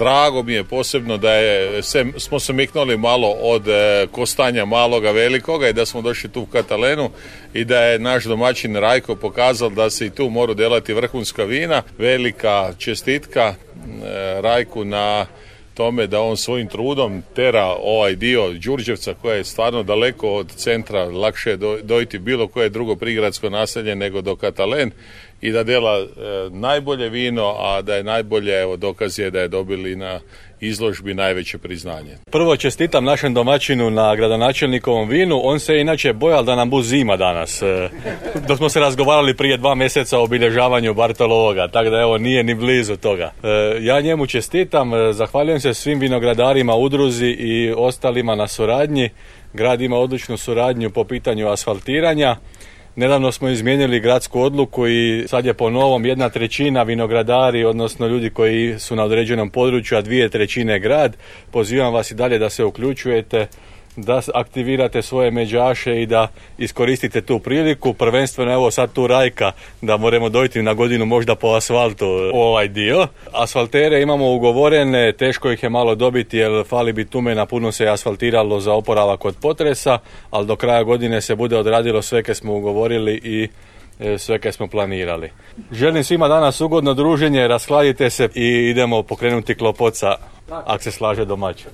Drago mi je posebno da smo se miknuli malo od kostanja maloga velikoga i da smo došli tu u Katalenu i da je naš domaćin Rajko pokazal da se i tu moru delati vrhunska vina. Velika čestitka Rajku na tome da on svojim trudom tera ovaj dio Đurđevca koji je stvarno daleko od centra, lakše je dojti bilo koje drugo prigradsko naselje nego do Katalen i da dela najbolje vino, a da je najbolje, evo dokaz je da je dobili na izložbi najveće priznanje. Prvo čestitam našem domaćinu na gradonačelnikovom vinu, on se inače bojal da nam bu zima danas, dok smo se razgovarali prije 2 mjeseca o obilježavanju Bartolovoga, tako da evo nije ni blizu toga. Ja njemu čestitam, zahvaljujem se svim vinogradarima, udruzi i ostalima na suradnji. Grad ima odličnu suradnju po pitanju asfaltiranja. Nedavno smo izmijenili gradsku odluku i sad je po novom 1/3 vinogradari, odnosno ljudi koji su na određenom području, a 2/3 grad. Pozivam vas i dalje da se uključujete, da aktivirate svoje međaše i da iskoristite tu priliku. Prvenstveno evo sad tu Rajka, da moramo dojti na godinu možda po asfaltu ovaj dio. Asfaltere imamo ugovorene, teško ih je malo dobiti jer fali bitumena, puno se je asfaltiralo za oporavak od potresa, ali do kraja godine se bude odradilo sve kaj smo ugovorili i sve kaj smo planirali. Želim svima danas ugodno druženje, raskladite se i idemo pokrenuti Klopoca, ako se slaže domaćin.